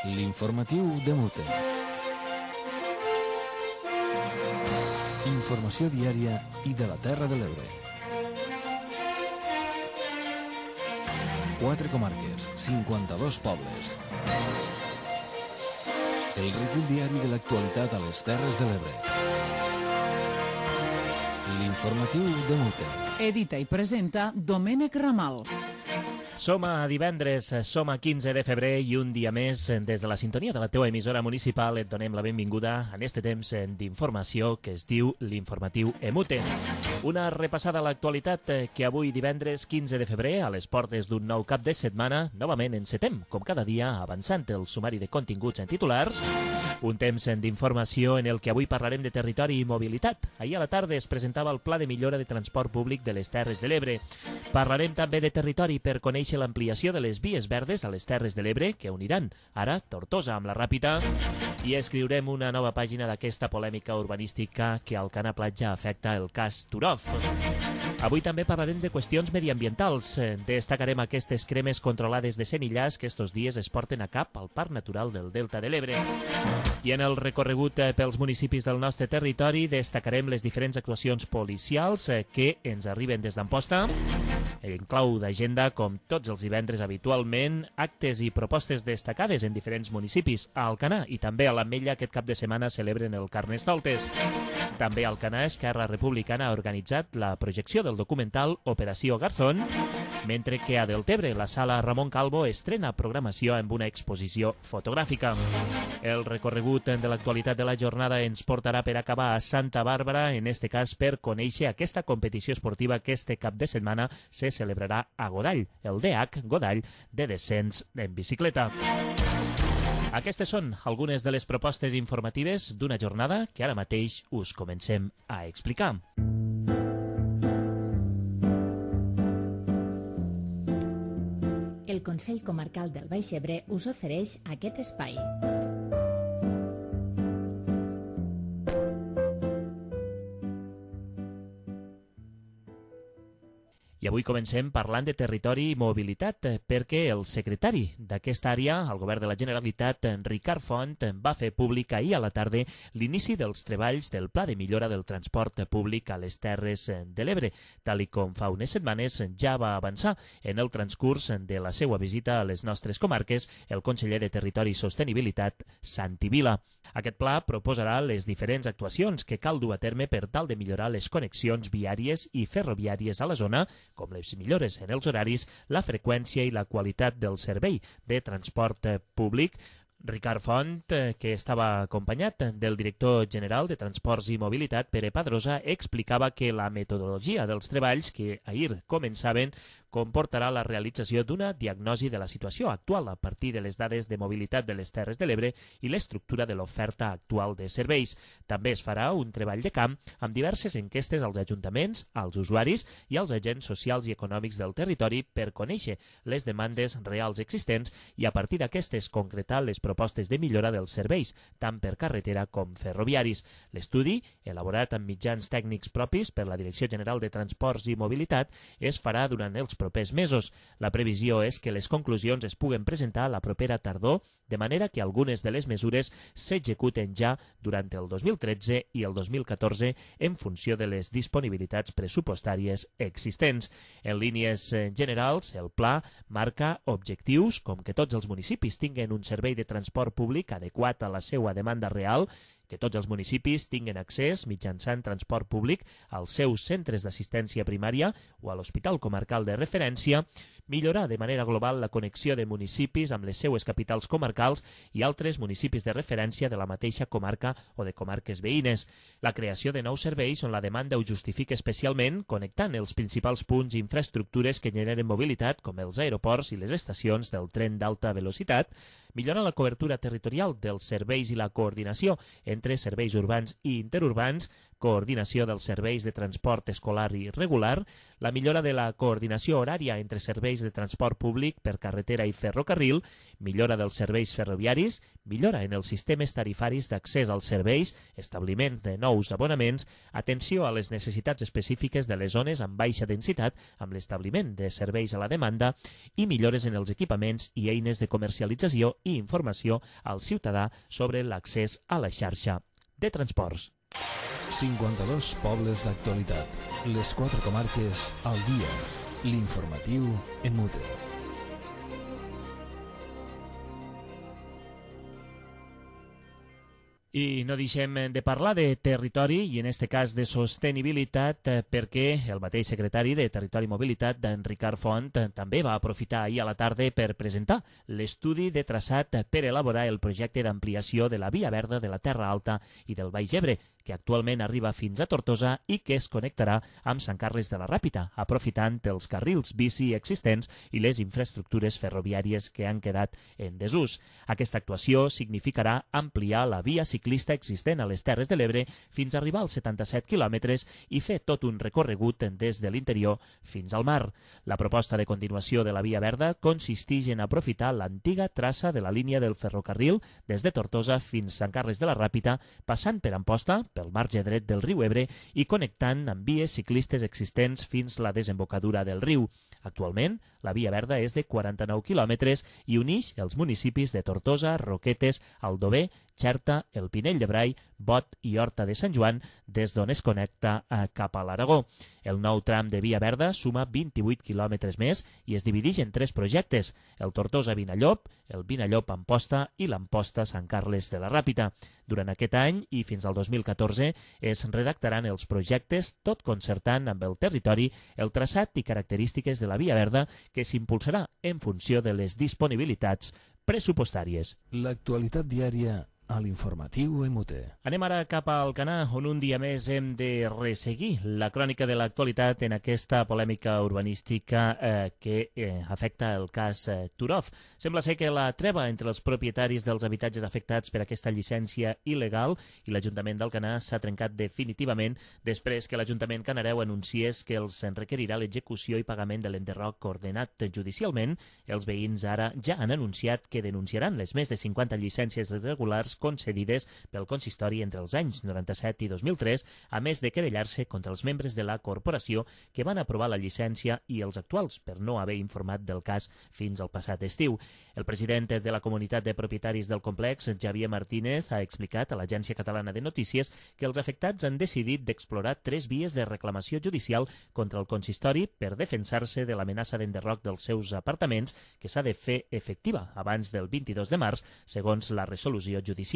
L'informatiu de Mute. Informació diària i de la Terra de l'Ebre. 4 comarques, 52 pobles. El recull diari de l'actualitat a les Terres de l'Ebre. L'informatiu de Mute. Edita i presenta Domènec Ramal. Som a divendres, som a 15 de febrer i un dia més des de la sintonia de la teua emissora municipal et donem la benvinguda en este temps d'informació que es diu l'Informatiu Emute. Una repassada a l'actualitat que avui divendres 15 de febrer a les portes d'un nou cap de setmana novament encetem, com cada dia, avançant el sumari de continguts en titulars. Un temps d'informació en el que avui parlarem de territori i mobilitat. Ahir a la tarda es presentava el Pla de Millora de Transport Públic de les Terres de l'Ebre. Parlarem també de territori per conèixer l'ampliació de les vies verdes a les Terres de l'Ebre, que uniran ara Tortosa amb la Ràpita, i escriurem una nova pàgina d'aquesta polèmica urbanística que al Alcanar Platja afecta el cas Turov. Avui també parlarem de qüestions mediambientals. Destacarem aquestes cremes controlades de senillars que estos dies es porten a cap al Parc Natural del Delta de l'Ebre. I en el recorregut pels municipis del nostre territori destacarem les diferents actuacions policials que ens arriben des d'Amposta. En clau d'agenda, com tots els divendres habitualment, actes i propostes destacades en diferents municipis. A Alcanar i també a l'Ametlla aquest cap de setmana celebren el Carnestoltes. També a Alcanar, Esquerra Republicana ha organitzat la projecció del documental Operació Garzón, mentre que a Deltebre la sala Ramon Calvo estrena programació amb una exposició fotogràfica. El recorregut de l'actualitat de la jornada ens portarà per acabar a Santa Bàrbara, en este cas per conèixer aquesta competició esportiva que este cap de setmana se celebrarà a Godall, el DH Godall de descens en bicicleta. Aquestes són algunes de les propostes informatives d'una jornada que ara mateix us comencem a explicar. El Consell Comarcal del Baix Ebre us ofereix aquest espai. I avui comencem parlant de territori i mobilitat, perquè el secretari d'aquesta àrea, al Govern de la Generalitat, Ricard Font, va fer públic ahir a la tarda l'inici dels treballs del Pla de Millora del Transport Públic a les Terres de l'Ebre, tal com fa unes setmanes ja va avançar en el transcurs de la seva visita a les nostres comarques el conseller de Territori i Sostenibilitat, Santi Vila. Aquest pla proposarà les diferents actuacions que cal dur a terme per tal de millorar les connexions viàries i ferroviàries a la zona, com les millores en els horaris, la freqüència i la qualitat del servei de transport públic. Ricard Font, que estava acompanyat del director general de Transports i Mobilitat, Pere Padrosa, explicava que la metodologia dels treballs que ahir començaven comportarà la realització d'una diagnosi de la situació actual a partir de les dades de mobilitat de les Terres de l'Ebre i l'estructura de l'oferta actual de serveis. També es farà un treball de camp amb diverses enquestes als ajuntaments, als usuaris i als agents socials i econòmics del territori per conèixer les demandes reals existents i a partir d'aquestes concretar les propostes de millora dels serveis, tant per carretera com ferroviaris. L'estudi, elaborat amb mitjans tècnics propis per la Direcció General de Transports i Mobilitat, es farà durant els propers mesos. La previsió és que les conclusions es puguen presentar la propera tardor, de manera que algunes de les mesures s'executen ja durant el 2013 i el 2014 en funció de les disponibilitats pressupostàries existents. En línies generals, el pla marca objectius com que tots els municipis tinguen un servei de transport públic adequat a la seva demanda real, que tots els municipis tinguen accés mitjançant transport públic als seus centres d'assistència primària o a l'hospital comarcal de referència, millorar de manera global la connexió de municipis amb les seues capitals comarcals i altres municipis de referència de la mateixa comarca o de comarques veïnes, la creació de nous serveis on la demanda ho justifica especialment, connectant els principals punts i infraestructures que generen mobilitat, com els aeroports i les estacions del tren d'alta velocitat, millorar la cobertura territorial dels serveis i la coordinació entre serveis urbans i interurbans, coordinació dels serveis de transport escolar i regular, la millora de la coordinació horària entre serveis de transport públic per carretera i ferrocarril, millora dels serveis ferroviaris, millora en els sistemes tarifaris d'accés als serveis, establiment de nous abonaments, atenció a les necessitats específiques de les zones amb baixa densitat amb l'establiment de serveis a la demanda i millores en els equipaments i eines de comercialització i informació al ciutadà sobre l'accés a la xarxa de transports. 52 pobles d'actualitat. Les 4 comarques al dia. L'informatiu en Mute. I no deixem de parlar de territori i en aquest cas de sostenibilitat perquè el mateix secretari de Territori i Mobilitat, d'en Ricard Font, també va aprofitar ahir a la tarda per presentar l'estudi de traçat per elaborar el projecte d'ampliació de la Via Verda de la Terra Alta i del Baix Ebre, que actualment arriba fins a Tortosa i que es connectarà amb Sant Carles de la Ràpita, aprofitant els carrils bici existents i les infraestructures ferroviàries que han quedat en desús. Aquesta actuació significarà ampliar la via ciclista existent a les Terres de l'Ebre fins a arribar als 77 quilòmetres i fer tot un recorregut des de l'interior fins al mar. La proposta de continuació de la Via Verda consisteix en aprofitar l'antiga traça de la línia del ferrocarril des de Tortosa fins a Sant Carles de la Ràpita, passant per Amposta, pel marge dret del riu Ebre i connectant amb vies ciclistes existents fins a la desembocadura del riu. Actualment, la Via Verda és de 49 quilòmetres i uneix els municipis de Tortosa, Roquetes, Aldover, Xerta, el Pinell de Brai, Bot i Horta de Sant Joan, des d'on es connecta cap a l'Aragó. El nou tram de Via Verda suma 28 quilòmetres més i es divideix en 3 projectes, el Tortosa-Vinallop, el Vinallop-Amposta i l'Amposta-Sant Carles de la Ràpita. Durant aquest any i fins al 2014 es redactaran els projectes, tot concertant amb el territori, el traçat i característiques de la Via Verda que s'impulsarà en funció de les disponibilitats pressupostàries. L'actualitat diària a l'informatiu MUT. Anem ara cap al Canà, on un dia més hem de resseguir la crònica de l'actualitat en aquesta polèmica urbanística que afecta el cas Turov. Sembla ser que la treva entre els propietaris dels habitatges afectats per aquesta llicència il·legal i l'Ajuntament del Canà s'ha trencat definitivament després que l'Ajuntament canareu anunciés que els requerirà l'execució i pagament de l'enderroc ordenat judicialment. Els veïns ara ja han anunciat que denunciaran les més de 50 llicències irregulars concedides pel consistori entre els anys 97 i 2003, a més de querellar-se contra els membres de la corporació que van aprovar la llicència i els actuals per no haver informat del cas fins al passat estiu. El president de la comunitat de propietaris del complex, Javier Martínez, ha explicat a l'Agència Catalana de Notícies que els afectats han decidit d'explorar 3 vies de reclamació judicial contra el consistori per defensar-se de l'amenaça d'enderroc dels seus apartaments que s'ha de fer efectiva abans del 22 de març, segons la resolució judicial.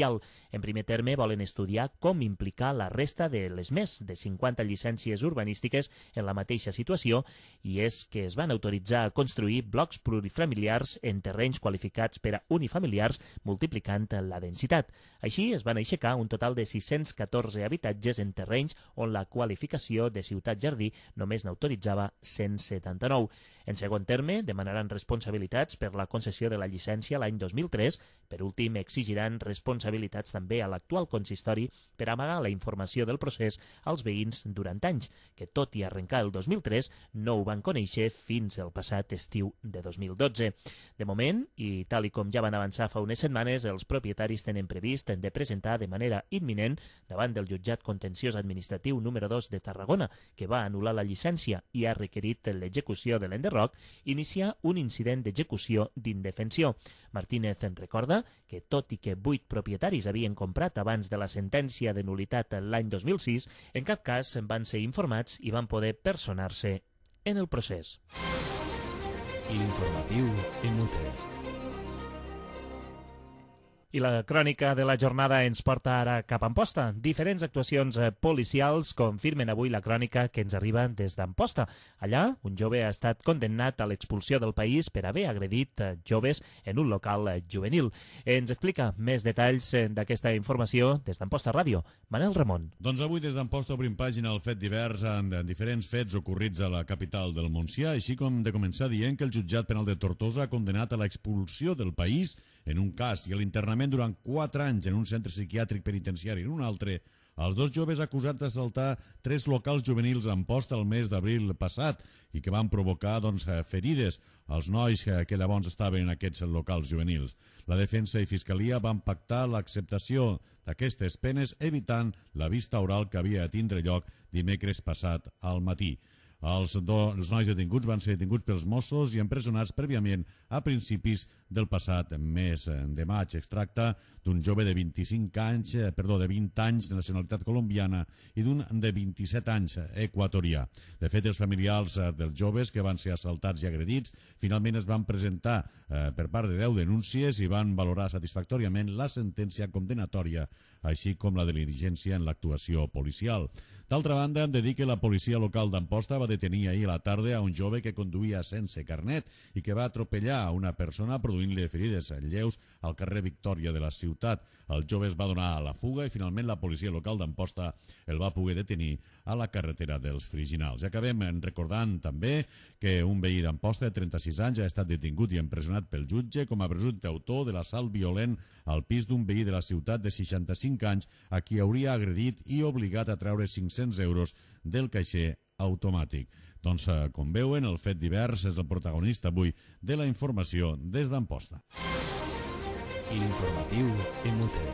En primer terme, volen estudiar com implicar la resta de les més de 50 llicències urbanístiques en la mateixa situació, i és que es van autoritzar a construir blocs plurifamiliars en terrenys qualificats per a unifamiliars, multiplicant la densitat. Així, es van aixecar un total de 614 habitatges en terrenys on la qualificació de ciutat-jardí només n'autoritzava 179. En segon terme, demanaran responsabilitats per la concessió de la llicència l'any 2003. Per últim, exigiran responsabilitats també a l'actual consistori per amagar la informació del procés als veïns durant anys, que tot i arrencar el 2003 no ho van conèixer fins al passat estiu de 2012. De moment, i tal i com ja van avançar fa unes setmanes, els propietaris tenen previst de presentar de manera imminent davant del jutjat contenciós administratiu número 2 de Tarragona, que va anul·lar la llicència i ha requerit l'execució de l'enderroc, iniciar un incident d'execució d'indefensió. Martínez en recorda que, tot i que 8 propietaris havien comprat abans de la sentència de nul·litat l'any 2006, en cap cas van ser informats i van poder personar-se en el procés. L'informatiu en UT. I la crònica de la jornada ens porta ara cap a Amposta. Diferents actuacions policials confirmen avui la crònica que ens arriba des d'Amposta. Allà, un jove ha estat condemnat a l'expulsió del país per haver agredit joves en un local juvenil. Ens explica més detalls d'aquesta informació des d'Amposta Ràdio. Manel Ramon. Doncs avui des d'Amposta obrim pàgina al fet divers en diferents fets ocorrits a la capital del Montsià, així com de començar dient que el jutjat penal de Tortosa ha condenat a l'expulsió del país en un cas i a l'internament confinament durant 4 anys en un centre psiquiàtric penitenciari. En un altre, els 2 joves acusats d'assaltar 3 locals juvenils a Amposta el mes d'abril passat i que van provocar ferides als nois que llavors estaven en aquests locals juvenils. La defensa i fiscalia van pactar l'acceptació d'aquestes penes evitant la vista oral que havia de tindre lloc dimecres passat al matí. Els nois detinguts van ser detinguts pels Mossos i empresonats prèviament a principis del passat mes de maig. Es tracta d'un jove de 20 anys de nacionalitat colombiana i d'un de 27 anys equatorià. De fet, els familiars dels joves que van ser assaltats i agredits finalment es van presentar per part de 10 denúncies i van valorar satisfactòriament la sentència condenatòria, així com la diligència en l'actuació policial. D'altra banda, hem de dir que la policia local d'Amposta va detenir ahir a la tarda a un jove que conduïa sense carnet i que va atropellar a una persona produint-li ferides lleus al carrer Victòria de la ciutat. El jove es va donar a la fuga i finalment la policia local d'Amposta el va poder detenir a la carretera dels Friginals. I acabem recordant també que un veí d'Amposta de 36 anys ha estat detingut i empresonat pel jutge com a presumpte autor de l'assalt violent al pis d'un veí de la ciutat de 65 anys a qui hauria agredit i obligat a treure 500 euros del caixer automàtic. Doncs, com veuen, el fet divers és el protagonista avui de la informació des d'Amposta. L'informatiu en UTE.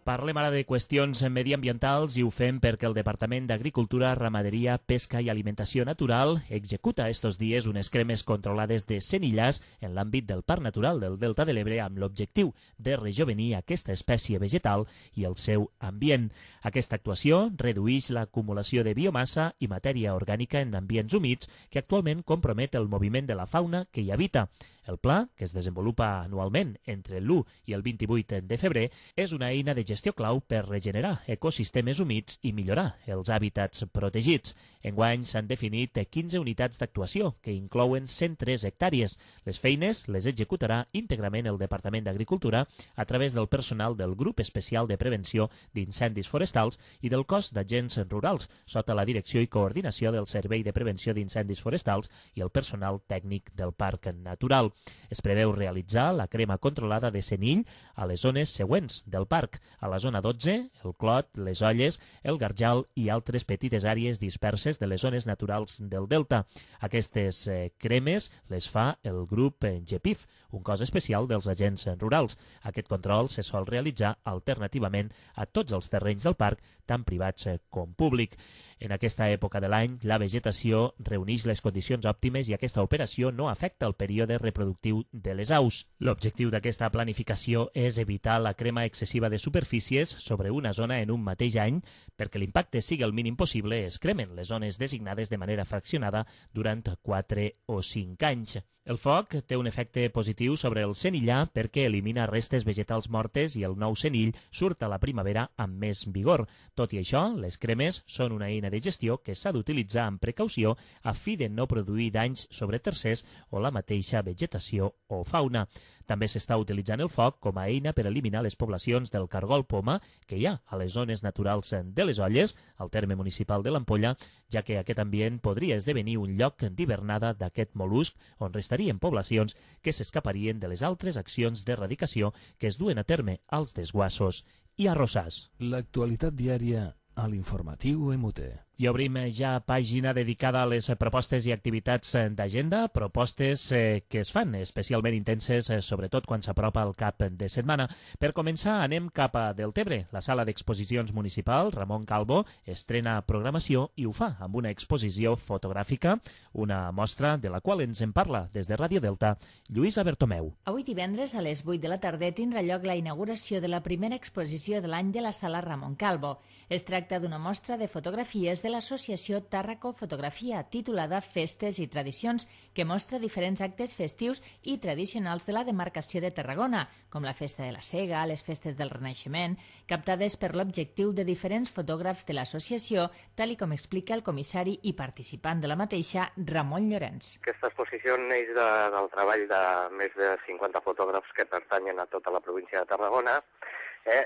Parlem ara de qüestions mediambientals i ho fem perquè el Departament d'Agricultura, Ramaderia, Pesca i Alimentació Natural executa estos dies unes cremes controlades de senillars en l'àmbit del Parc Natural del Delta de l'Ebre amb l'objectiu de rejovenir aquesta espècie vegetal i el seu ambient. Aquesta actuació redueix l'acumulació de biomassa i matèria orgànica en ambients humits que actualment compromet el moviment de la fauna que hi habita. El pla, que es desenvolupa anualment entre l'1 i el 28 de febrer, és una eina de gestió clau per regenerar ecosistemes humits i millorar els hàbitats protegits. Enguany s'han definit 15 unitats d'actuació, que inclouen 103 hectàrees. Les feines les executarà íntegrament el Departament d'Agricultura a través del personal del Grup Especial de Prevenció d'Incendis Forestals i del Cos d'Agents Rurals, sota la direcció i coordinació del Servei de Prevenció d'Incendis Forestals i el personal tècnic del Parc Natural. Es preveu realitzar la crema controlada de senill a les zones següents del parc, a la zona 12, el Clot, les Olles, el Garjal i altres petites àrees disperses de les zones naturals del Delta. Aquestes cremes les fa el grup GEPIF, un cos especial dels agents rurals. Aquest control se sol realitzar alternativament a tots els terrenys del parc, tant privats com públic. En aquesta època de l'any, la vegetació reuneix les condicions òptimes i aquesta operació no afecta el període reproductiu de les aus. L'objectiu d'aquesta planificació és evitar la crema excessiva de superfícies sobre una zona en un mateix any. Perquè l'impacte sigui el mínim possible, es cremen les zones designades de manera fraccionada durant 4 o 5 anys. El foc té un efecte positiu sobre el senillar perquè elimina restes vegetals mortes i el nou senill surt a la primavera amb més vigor. Tot i això, les cremes són una eina de gestió que s'ha d'utilitzar amb precaució a fi de no produir danys sobre tercers o la mateixa vegetació o fauna. També s'està utilitzant el foc com a eina per eliminar les poblacions del cargol poma que hi ha a les zones naturals de les Olles, al terme municipal de l'Ampolla, ja que aquest ambient podria esdevenir un lloc d'hivernada d'aquest mol·lusc on restarien poblacions que s'escaparien de les altres accions d'erradicació que es duen a terme als desguassos i arrossars. L'actualitat diària a l'informatiu MUTE. I obrim ja pàgina dedicada a les propostes i activitats d'agenda, propostes que es fan especialment intenses, sobretot quan s'apropa el cap de setmana. Per començar, anem cap a Deltebre. La sala d'exposicions municipal, Ramon Calvo, estrena programació i ho fa amb una exposició fotogràfica, una mostra de la qual ens en parla des de Ràdio Delta, Lluïsa Bertomeu. Avui divendres a les 8 de la tarda tindrà lloc la inauguració de la primera exposició de l'any de la sala Ramon Calvo. Es tracta d'una mostra de fotografies de l'associació Tàrraco Fotografia, titulada Festes i Tradicions, que mostra diferents actes festius i tradicionals de la demarcació de Tarragona, com la Festa de la Sega, les Festes del Renaixement, captades per l'objectiu de diferents fotògrafs de l'associació, tal i com explica el comissari i participant de la mateixa, Ramon Llorenç. Aquesta exposició neix del treball de més de 50 fotògrafs que pertanyen a tota la província de Tarragona,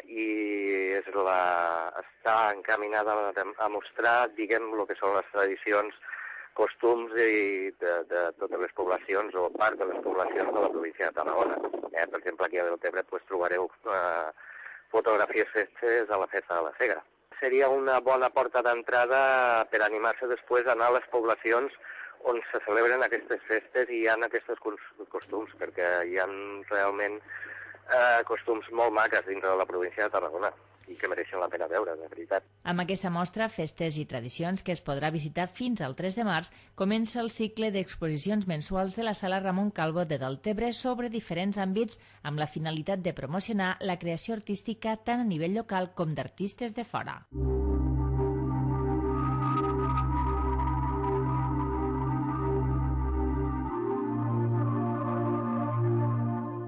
i està encaminada a mostrar, diguem, el que són les tradicions, costums de totes les poblacions o part de les poblacions de la província de Tarragona. Per exemple, aquí a Deltebre trobareu fotografies fetes a la Festa de la Cega. Seria una bona porta d'entrada per animar-se després a anar a les poblacions on se celebren aquestes festes i hi ha aquests costums, perquè hi ha realment costums molt maques dintre de la província de Tarragona i que mereixen la pena veure, de veritat. Amb aquesta mostra, Festes i Tradicions, que es podrà visitar fins al 3 de març, comença el cicle d'exposicions mensuals de la Sala Ramon Calvo de Deltebre sobre diferents àmbits amb la finalitat de promocionar la creació artística tant a nivell local com d'artistes de fora.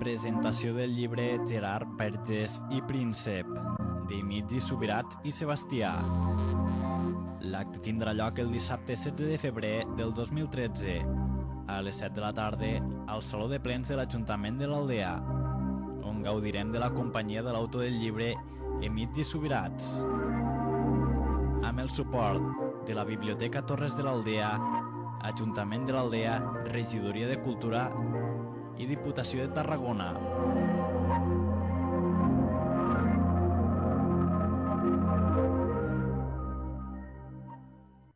Presentació del llibre Gerard Vergés i Príncep, d'Emili Subirats i Sebastià. L'acte tindrà lloc el dissabte 16 de febrer del 2013, a les 7 de la tarda, al Saló de Plens de l'Ajuntament de l'Aldea, on gaudirem de la companyia de l'autor del llibre Emili Subirats, amb el suport de la Biblioteca Torres de l'Aldea, Ajuntament de l'Aldea, Regidoria de Cultura i Diputació de Tarragona.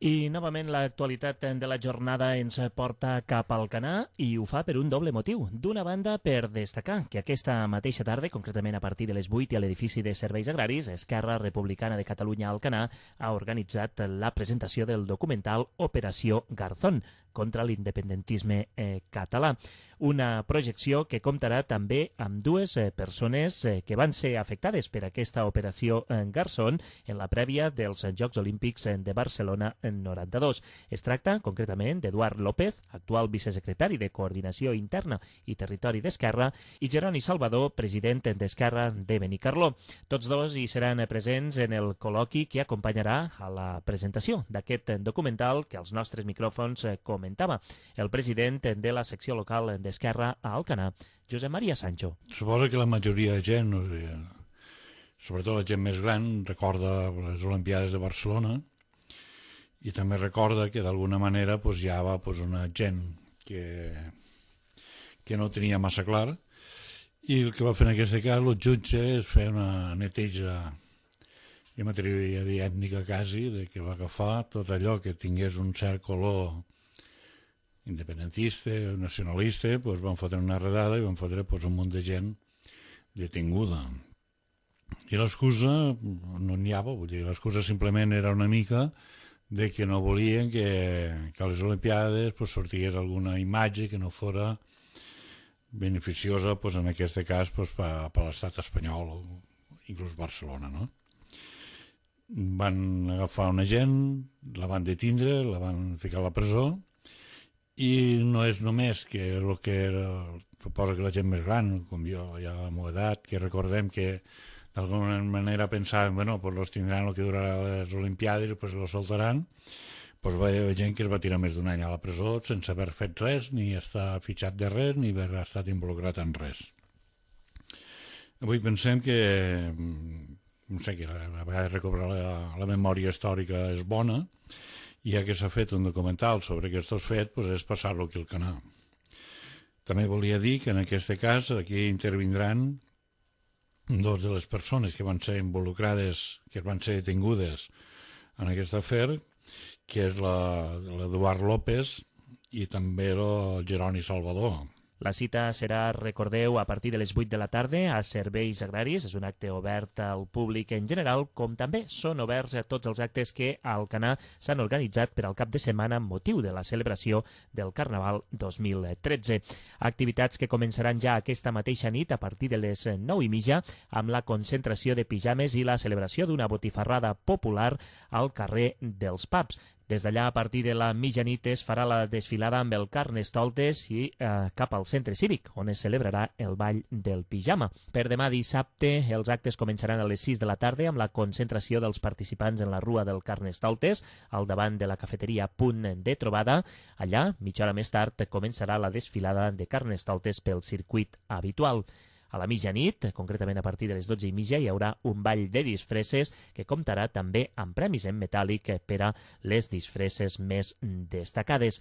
I novament l'actualitat de la jornada ens porta cap al Alcanar i ho fa per un doble motiu. D'una banda, per destacar que aquesta mateixa tarda, concretament a partir de les 8 i a l'edifici de Serveis Agraris, Esquerra Republicana de Catalunya Alcanar ha organitzat la presentació del documental Operació Garzón, contra l'independentisme català. Una projecció que comptarà també amb dues persones que van ser afectades per aquesta operació Garzón en la prèvia dels Jocs Olímpics de Barcelona en 92. Es tracta, concretament, d'Eduard López, actual vicesecretari de Coordinació Interna i Territori d'Esquerra, i Jeroni Salvador, president d'Esquerra de Benicarló. Tots dos hi seran presents en el col·loqui que acompanyarà a la presentació d'aquest documental que als nostres micròfons comentava el president de la secció local d'Esquerra a Alcanar, Josep Maria Sancho. Suposo que la majoria de gent, sobretot la gent més gran, recorda les Olimpiades de Barcelona i també recorda que d'alguna manera hi ha una gent que no tenia massa clar i el que va fer en aquest cas el jutge és fer una neteja, jo m'atreviria a dir ètnica quasi, de que va agafar tot allò que tingués un cert color independentista, nacionalista, van fotre una redada i van fotre un munt de gent detinguda. I l'excusa no n'hi havia, vull dir, l'excusa simplement era una mica de que no volien que a les Olimpiades sortigués alguna imatge que no fora beneficiosa, en aquest cas, per l'estat espanyol o inclús Barcelona, no? Van agafar una gent, la van detindre, la van ficar a la presó, i no és només que el que era, suposo que la gent més gran, com jo, ja a la meva edat, que recordem que d'alguna manera pensàvem, los tindran el que durarà les Olimpiades i los soltaran, va haver gent que es va tirar més d'un any a la presó sense haver fet res, ni estar fitxat de res, ni haver estat involucrat en res. Avui pensem que, no sé, que a vegades recobrar la memòria històrica és bona, i ja que s'ha fet un documental sobre aquests fets, és passar-lo aquí al canal. També volia dir que en aquest cas aquí intervindran dos de les persones que van ser involucrades, que van ser detingudes en aquest afer, que és l'Eduard López i també el Jeroni Salvador. La cita serà, recordeu, a partir de les 8 de la tarda a Serveis Agraris. És un acte obert al públic en general, com també són oberts a tots els actes que a Alcanar s'han organitzat per al cap de setmana amb motiu de la celebració del Carnaval 2013. Activitats que començaran ja aquesta mateixa nit a partir de les 9:30 amb la concentració de pijames i la celebració d'una botifarrada popular al carrer dels Pubs. Des d'allà, a partir de la mitjanit, es farà la desfilada amb el Carnestoltes i cap al centre cívic, on es celebrarà el ball del pijama. Per demà dissabte, els actes començaran a les 6 de la tarda amb la concentració dels participants en la Rua del Carnestoltes, al davant de la cafeteria Punt de Trobada. Allà, mitja hora més tard, començarà la desfilada de Carnestoltes pel circuit habitual. A la mitjanit, concretament a partir de les 12:30, hi haurà un ball de disfresses que comptarà també amb premis en metàl·lic per a les disfresses més destacades.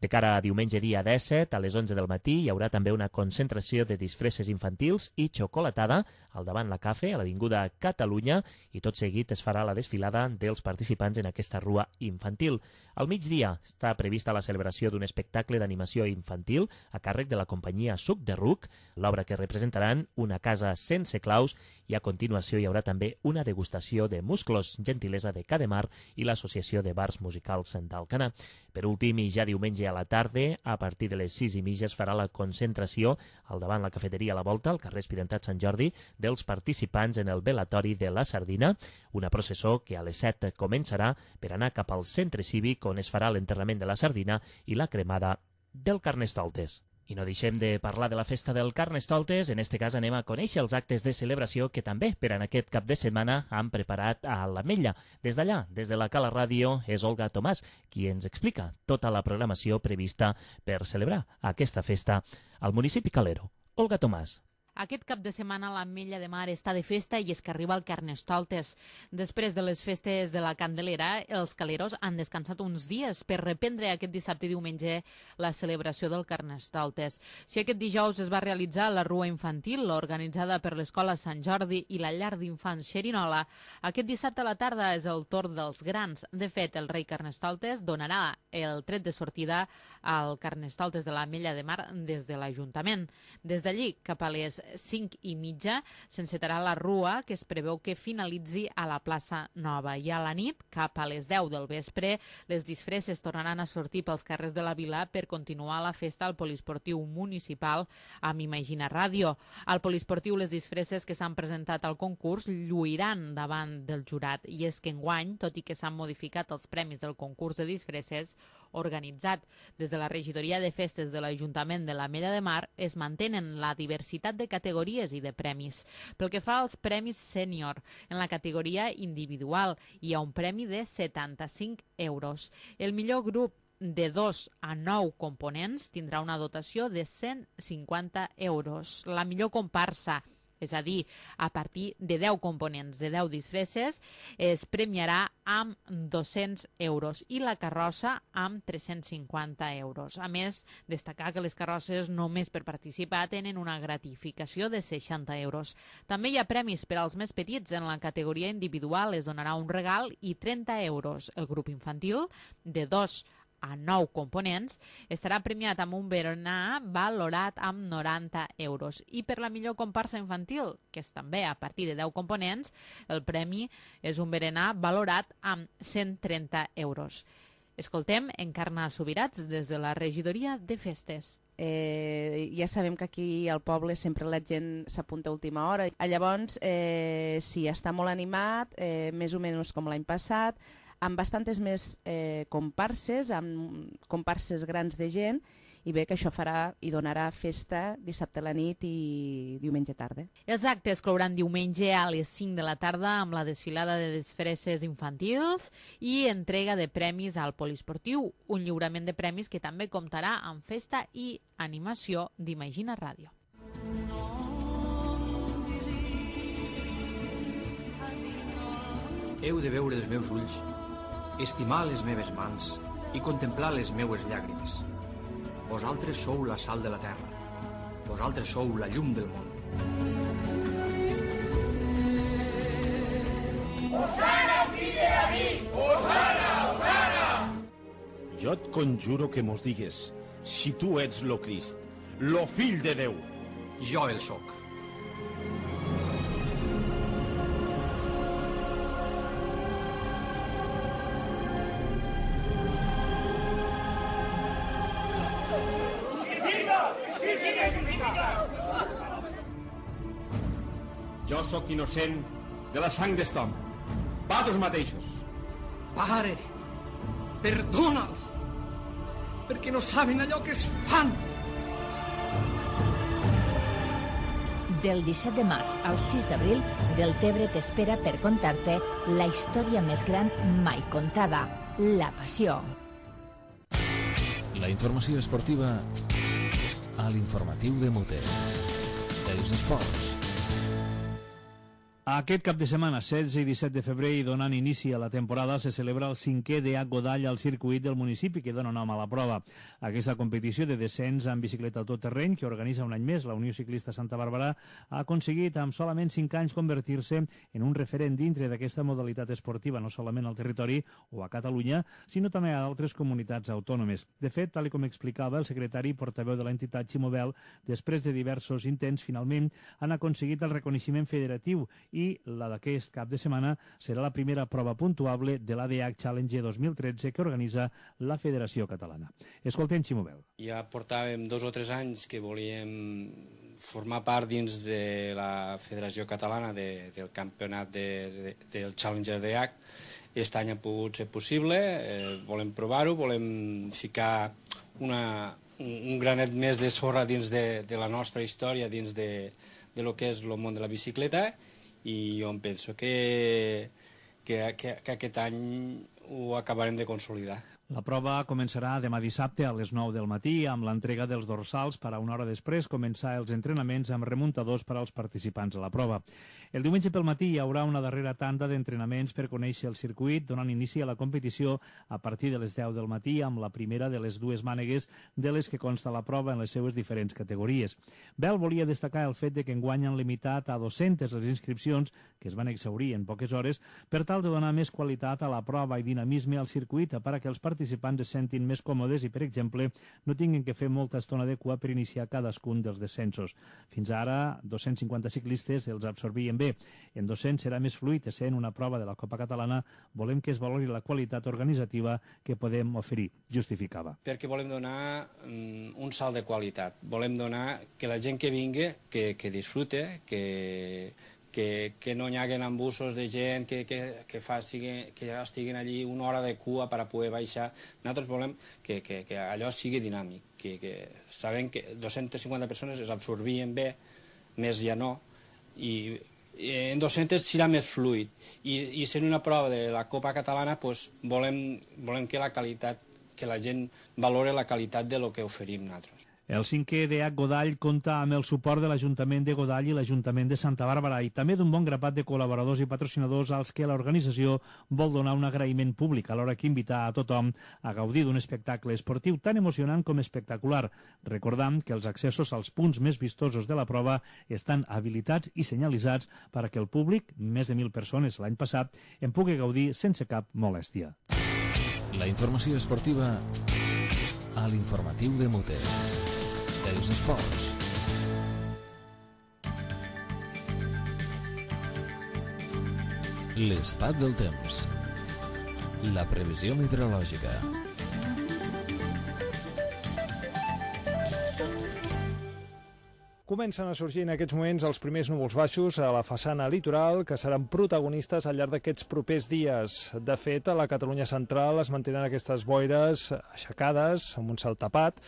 De cara a diumenge dia 17, a les 11 del matí, hi haurà també una concentració de disfresses infantils i xocolatada al davant la Cafè, a l'Avinguda Catalunya, i tot seguit es farà la desfilada dels participants en aquesta rua infantil. Al migdia està prevista la celebració d'un espectacle d'animació infantil a càrrec de la companyia Suc de Ruc, l'obra que representaran Una casa sense claus, i a continuació hi haurà també una degustació de musclos, gentilesa de Cademar i l'Associació de Bars Musicals d'Alcanar. Per últim, i ja diumenge a la tarda, a partir de les 6:30 es farà la concentració al davant la cafeteria a la Volta, al carrer Espirentat Sant Jordi, dels participants en el velatori de la Sardina, una processó que a les 7 començarà per anar cap al centre cívic on es farà l'enterrament de la sardina i la cremada del Carnestoltes. I no deixem de parlar de la festa del Carnestoltes. En este cas anem a conèixer els actes de celebració que també per en aquest cap de setmana han preparat a l'Ametlla. Des d'allà, des de la Cala Ràdio, és Olga Tomàs qui ens explica tota la programació prevista per celebrar aquesta festa al municipi calero. Olga Tomàs. Aquest cap de setmana l'Ametlla de Mar està de festa i és que arriba el Carnestoltes. Després de les festes de la Candelera, els caleros han descansat uns dies per reprendre aquest dissabte i diumenge la celebració del Carnestoltes. Si aquest dijous es va realitzar la rua infantil organitzada per l'Escola Sant Jordi i la llar d'infants Xerinola, aquest dissabte a la tarda és el torn dels grans. De fet, el rei Carnestoltes donarà el tret de sortida al Carnestoltes de l'Ametlla de Mar des de l'Ajuntament. Des d'allí, cap a les 5:30, s'encetarà la rua, que es preveu que finalitzi a la plaça Nova. I a la nit, cap a les 10 del vespre, les disfresses tornaran a sortir pels carrers de la vila per continuar la festa al poliesportiu municipal amb Imagina Ràdio. Al poliesportiu, les disfresses que s'han presentat al concurs lluiran davant del jurat. I és que enguany, tot i que s'han modificat els premis del concurs de disfresses organitzat des de la regidoria de festes de l'Ajuntament de l'Ametlla de Mar, es mantenen la diversitat de categories i de premis. Pel que fa als premis sènior, en la categoria individual hi ha un premi de 75 euros. El millor grup de 2 a 9 components tindrà una dotació de 150 euros. La millor comparsa, és a dir, a partir de 10 components, de 10 disfresses, es premiarà amb 200 euros i la carrossa amb 350 euros. A més, destacar que les carrosses només per participar tenen una gratificació de 60 euros. També hi ha premis per als més petits. En la categoria individual es donarà un regal i 30 euros. El grup infantil, de 2 a 9 components, estarà premiat amb un berenar valorat amb 90 euros. I per la millor comparsa infantil, que és també a partir de 10 components, el premi és un berenar valorat amb 130 euros. Escoltem Encarna Subirats des de la regidoria de festes. Ja sabem que aquí al poble sempre la gent s'apunta a última hora. Llavors, sí, està molt animat, més o menys com l'any passat, amb bastantes més comparses, amb comparses grans de gent, i bé que això farà i donarà festa dissabte a la nit i diumenge tarda. Els actes clouran diumenge a les 5 de la tarda amb la desfilada de disfresses infantils i entrega de premis al poliesportiu, un lliurament de premis que també comptarà amb festa i animació d'Imagina Ràdio. Heu de veure els meus ulls, estimar les meves mans i contemplar les meues llàgrimes. Vosaltres sou la sal de la terra. Vosaltres sou la llum del món. Osana, fill de David! Osana, Osana! Jo et conjuro que mos digues si tu ets lo Crist, lo fill de Déu. Jo el soc. Jo sóc innocent de la sang d'este home. Vosaltres mateixos. Pare, perdona'ls, perquè no saben allò que es fan. Del 17 de març al 6 d'abril, Deltebre t'espera per contar-te la història més gran mai contada, la passió. La informació esportiva a l'informatiu de Mute. Els esports. Aquest cap de setmana, 16 i 17 de febrer, i donant inici a la temporada, se celebra el 5è DH Godall al circuit del municipi, que dona nom a la prova. Aquesta competició de descens en bicicleta tot terreny, que organitza un any més la Unió Ciclista Santa Bàrbara, ha aconseguit amb solament 5 anys convertir-se en un referent dintre d'aquesta modalitat esportiva, no solament al territori o a Catalunya, sinó també a altres comunitats autònomes. De fet, tal com explicava el secretari i portaveu de l'entitat Ximobel, després de diversos intents, finalment han aconseguit el reconeixement federatiu i la d'aquest cap de setmana serà la primera prova puntuable de l'ADH Challenge 2013 que organitza la Federació Catalana. Escoltem Ximobel. Ja portàvem 2 o 3 anys que volíem formar part dins de la Federació Catalana del campionat del Challenger DH. Aquest any ha pogut ser possible, volem provar-ho, volem ficar un granet més de sorra dins de la nostra història, dins de lo que és el món de la bicicleta, i jo em penso que aquest any ho acabarem de consolidar. La prova començarà demà dissabte a les 9 del matí amb l'entrega dels dorsals per a una hora després començar els entrenaments amb remuntadors per als participants a la prova. El diumenge pel matí hi haurà una darrera tanda d'entrenaments per conèixer el circuit, donant inici a la competició a partir de les 10 del matí amb la primera de les 2 mànegues de les que consta la prova en les seues diferents categories. Bel volia destacar el fet de que enguany han limitat a 200 les inscripcions, que es van exhaurir en poques hores, per tal de donar més qualitat a la prova i dinamisme al circuit per a que els participants es sentin més còmodes i, per exemple, no tinguin que fer molta estona de cua per iniciar cadascun dels descensos. Fins ara, 250 ciclistes els absorbien bé. En 200 serà més fluid, essent una prova de la Copa Catalana, volem que es valori la qualitat organitzativa que podem oferir, justificava. Perquè volem donar un salt de qualitat. Volem donar que la gent que vingui, que disfrute, que no hi haguen embussos de gent que ja estiguin allí una hora de cua per a poder baixar. Nosaltres volem que allò sigui dinàmic, que sabem que 250 persones es absorbien bé, més ja no, i en 200 serà més fluid. I sent una prova de la Copa Catalana, volem que la gent valore la qualitat de lo que oferim nosaltres. El 5è DH Godall compta amb el suport de l'Ajuntament de Godall i l'Ajuntament de Santa Bàrbara i també d'un bon grapat de col·laboradors i patrocinadors als que l'organització vol donar un agraïment públic, alhora que invitar a tothom a gaudir d'un espectacle esportiu tan emocionant com espectacular, recordant que els accessos als punts més vistosos de la prova estan habilitats i senyalitzats perquè el públic, més de 1.000 persones l'any passat, en pugui gaudir sense cap molèstia. La informació esportiva a l'informatiu de Mute. Els esports. L'estat del temps. La previsió meteorològica. Comencen a sorgir en aquests moments els primers núvols baixos a la façana litoral que seran protagonistes al llarg d'aquests propers dies. De fet, a la Catalunya central es mantenen aquestes boires aixecades amb un cel tapat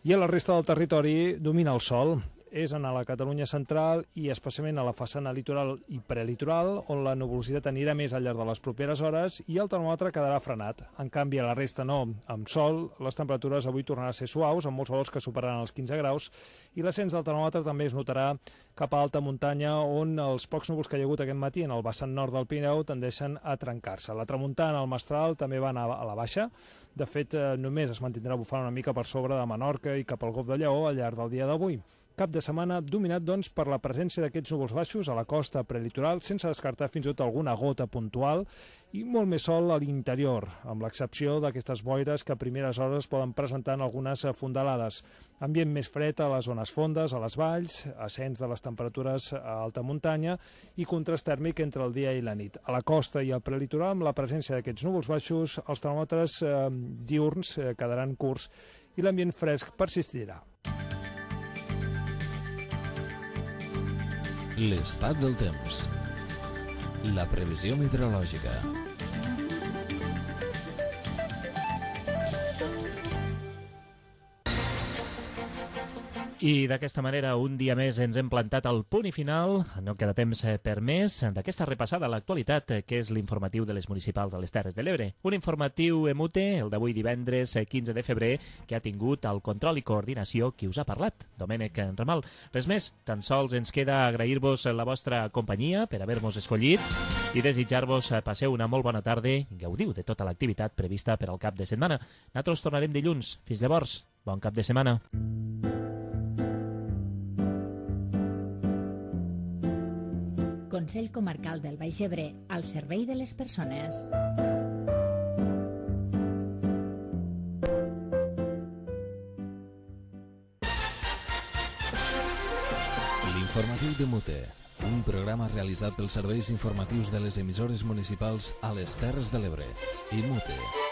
i a la resta del territori domina el sol. És a la Catalunya central i especialment a la façana litoral i prelitoral on la nuvolositat anirà més al llarg de les properes hores i el termòmetre quedarà frenat. En canvi, a la resta no. Amb sol, les temperatures avui tornaran a ser suaus, amb molts valors que superaran els 15 graus, i l'ascens del termòmetre també es notarà cap a alta muntanya, on els pocs núvols que hi ha hagut aquest matí en el vessant nord del Pirineu tendeixen a trencar-se. La tramuntana, el mestral, també va anar a la baixa. De fet, només es mantindrà bufant una mica per sobre de Menorca i cap al Golf de Lleó al llarg del dia d'avui. Cap de setmana dominat, doncs, per la presència d'aquests núvols baixos a la costa prelitoral, sense descartar fins i tot alguna gota puntual, i molt més sol a l'interior, amb l'excepció d'aquestes boires que a primeres hores poden presentar en algunes fondalades. Ambient més fred a les zones fondes, a les valls, ascens de les temperatures a alta muntanya i contrast tèrmic entre el dia i la nit. A la costa i al prelitoral, amb la presència d'aquests núvols baixos, els termòmetres diürns quedaran curts i l'ambient fresc persistirà. L'estat del temps. La previsió meteorològica. I d'aquesta manera, un dia més ens hem plantat al punt i final. No queda temps per més d'aquesta repassada a l'actualitat, que és l'informatiu de les municipals a les Terres de l'Ebre. Un informatiu emute, el d'avui divendres 15 de febrer, que ha tingut el control i coordinació qui us ha parlat, Domènec Ramal. Res més, tan sols ens queda agrair-vos la vostra companyia per haver-nos escollit i desitjar-vos passeu una molt bona tarda i gaudiu de tota l'activitat prevista per al cap de setmana. Nosaltres tornarem dilluns. Fins llavors, bon cap de setmana. Consell Comarcal del Baix Ebre, al servei de les persones. L'informatiu de Mute, un programa realitzat pels serveis informatius de les emissores municipals a les Terres de l'Ebre i Mute.